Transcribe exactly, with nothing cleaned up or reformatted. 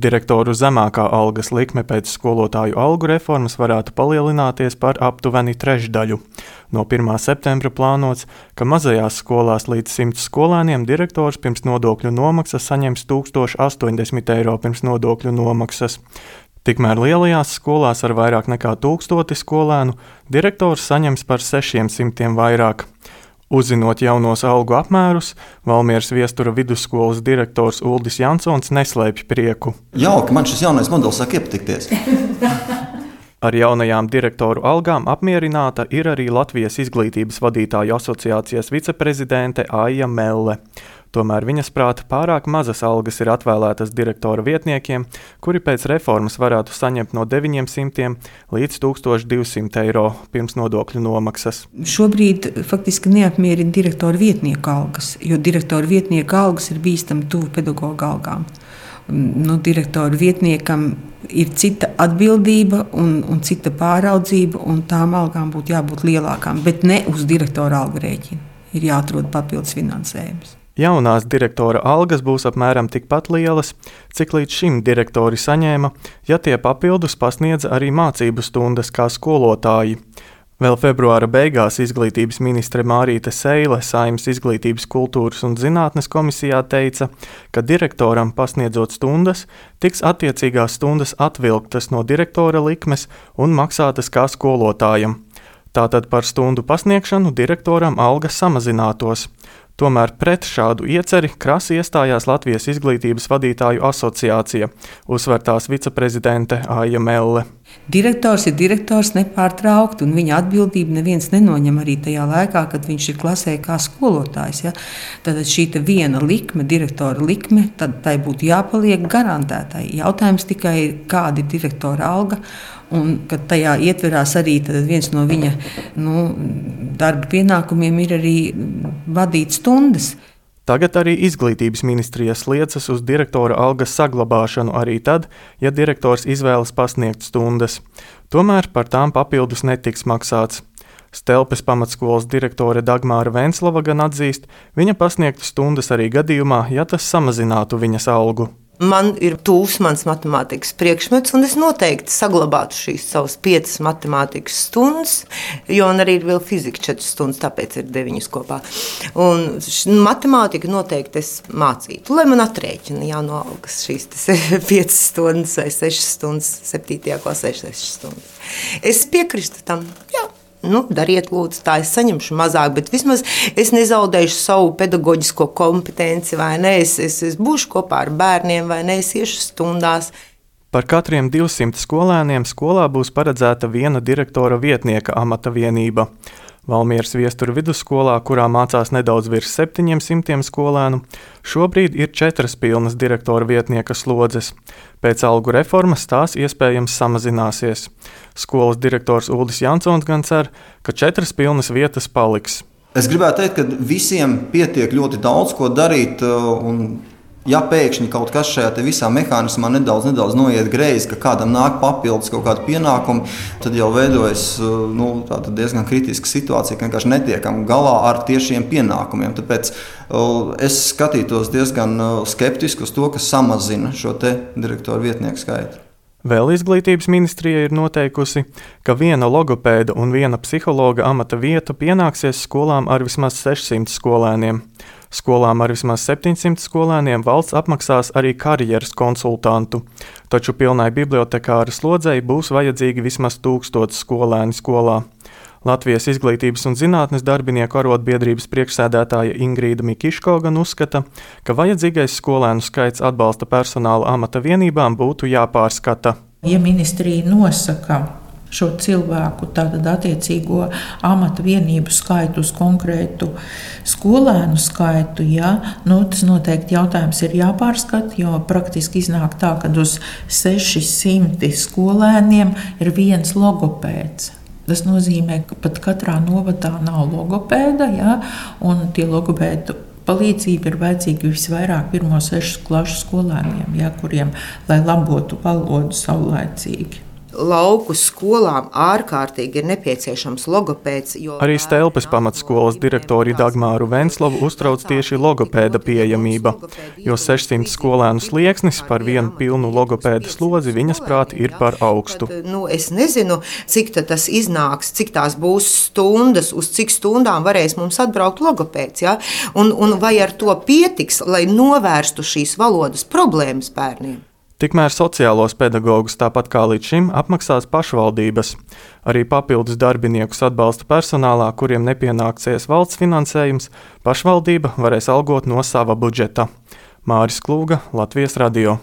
Direktoru zemākā algas likme pēc skolotāju algu reformas varētu palielināties par aptuveni trešdaļu. No pirmā septembra plānots, ka mazajās skolās līdz simts skolēniem direktors pirms nodokļu nomaksas saņems tūkstoš astoņdesmit eiro pirms nodokļu nomaksas. Tikmēr lielajās skolās ar vairāk nekā tūkstoti skolēnu direktors saņems par sešiem simtiem vairāk. Uzzinot jaunos algu apmērus, Valmieras Viestura vidusskolas direktors Uldis Jansons neslēpj prieku. Jauki, man šis jaunais modelis sāk iepatikties. Ar jaunajām direktoru algām apmierināta ir arī Latvijas izglītības vadītāju asociācijas viceprezidente Aija Melle. Tomēr viņas prāta pārāk mazas algas ir atvēlētas direktora vietniekiem, kuri pēc reformas varētu saņemt no deviņiem simtiem līdz tūkstoš divsimt eiro pirms nodokļu nomaksas. Šobrīd faktiski neapmierina direktora vietnieku algas, jo direktora vietnieku algas ir bīstami tuvu pedagoga algām. Nu, direktora vietniekam ir cita atbildība un, un cita pāraudzība, un tām algām būtu jābūt lielākām, bet ne uz direktora algu rēķina. Ir jāatrod papildus finansējums. Jaunās direktora algas būs apmēram tikpat lielas, cik līdz šim direktori saņēma, ja tie papildus pasniedza arī mācību stundas kā skolotāji. Vēl februāra beigās izglītības ministre Mārīte Seile Saeimas izglītības, kultūras un zinātnes komisijā teica, ka direktoram pasniedzot stundas, tiks attiecīgās stundas atvilktas no direktora likmes un maksātas kā skolotājam. Tātad par stundu pasniegšanu direktoram alga samazinātos. Tomēr pret šādu ieceri krasi iestājās Latvijas izglītības vadītāju asociācija, uzsver tās viceprezidente Aija Melle. Direktors ir direktors nepārtraukti, un viņa atbildību neviens nenoņem arī tajā laikā, kad viņš ir klasē kā skolotājs. Ja? Tad šī viena likme, direktora likme, tad tai būtu jāpaliek garantētai. Jautājums tikai ir, kāda ir direktora alga, un kad tajā ietverās arī viens no viņa nu, darba pienākumiem ir arī vadīt stundas. Tagad arī izglītības ministrijas liecas uz direktora algas saglabāšanu arī tad, ja direktors izvēlas pasniegt stundas. Tomēr par tām papildus netiks maksāts. Stelpes pamatskolas direktore Dagmāra Venslava gan atzīst, viņa pasniegtu stundas arī gadījumā, ja tas samazinātu viņas algu. Man ir tūs mans matemātikas priekšmets, un es noteikti saglabātu šīs savas piecas matemātikas stundas, jo man arī ir vēl fizika četras stundas, tāpēc ir deviņas kopā. Un matemātika noteikti es mācītu, lai man atrēķina jā, no algas šīs piecas stundas vai sešas stundas, septītajā klasē sešas stundas. Es piekristu tam, jā. Nu, dariet, lūdzu, tā es saņemšu mazāk, bet vismaz es nezaudēšu savu pedagoģisko kompetenci, vai ne, es, es, es būšu kopā ar bērniem, vai ne, es iešu stundās. Par katriem divsimt skolēniem skolā būs paredzēta viena direktora vietnieka amata vienība. Valmieras Viestura vidusskolā, kurā mācās nedaudz virs septiņiem simtiem skolēnu, šobrīd ir četras pilnas direktora vietnieka slodzes. Pēc algu reformas tās iespējams samazināsies. Skolas direktors Uldis Jansons gan cer, ka četras pilnas vietas paliks. Es gribētu teikt, ka visiem pietiek ļoti daudz ko darīt, un ja pēkšņi kaut kas šajā visā mehānismā nedaudz, nedaudz noiet greizi, ka kādam nāk papildus kaut kādi pienākumi, tad jau veidojas nu, diezgan kritiska situācija, ka vienkārši netiekam galā ar tiešiem pienākumiem. Tāpēc es skatītos diezgan skeptiski uz to, kas samazina šo te direktoru vietnieku skaitu. Vēl izglītības ministrija ir noteikusi, ka viena logopēda un viena psihologa amata vieta pienāksies skolām ar vismaz sešsimt skolēniem. Skolām ar vismaz septiņsimt skolēniem valsts apmaksās arī karjeras konsultantu, taču pilnai bibliotekāra slodzei būs vajadzīgi vismaz tūkstots skolēni skolā. Latvijas izglītības un zinātnes darbinieku arotbiedrības priekšsēdētāja Ingrīda Mikiško gan uzskata, ka vajadzīgais skolēnu skaits atbalsta personāla amata vienībām būtu jāpārskata. Ja ministrija nosaka šo cilvēku, tātad attiecīgo amata vienību skaitu uz konkrētu skolēnu skaitu, ja, nu, tas noteikti jautājums ir jāpārskata, jo praktiski iznāk tā, ka uz sešsimti skolēniem ir viens logopēds. Tas nozīmē, ka pat katrā novadā nav logopēda, ja, un tie logopēdu palīdzība ir vajadzīga visvairāk pirmo sešu klašu skolēniem, ja, kuriem, lai labotu valodu saulaicīgi. lauku skolām ārkārtīgi ir nepieciešams logopēds. Arī Stelpes pamatskolas direktori Dagmāru Venslovu uztrauc tieši logopēda pieejamība, jo sešsimt skolēnu slieksnis par vienu pilnu logopēda slodzi viņas prāt ir par augstu. Tad, nu, es nezinu, cik tas iznāks, cik tās būs stundas, uz cik stundām varēs mums atbraukt logopēds. Ja? Un, un vai ar to pietiks, lai novērstu šīs valodas problēmas bērniem? Tikmēr sociālos pedagogus tāpat kā līdz šim apmaksās pašvaldības. Arī papildus darbiniekus atbalsta personālā, kuriem nepienāksies valsts finansējums, pašvaldība varēs algot no sava budžeta. Māris Klūga, Latvijas radio.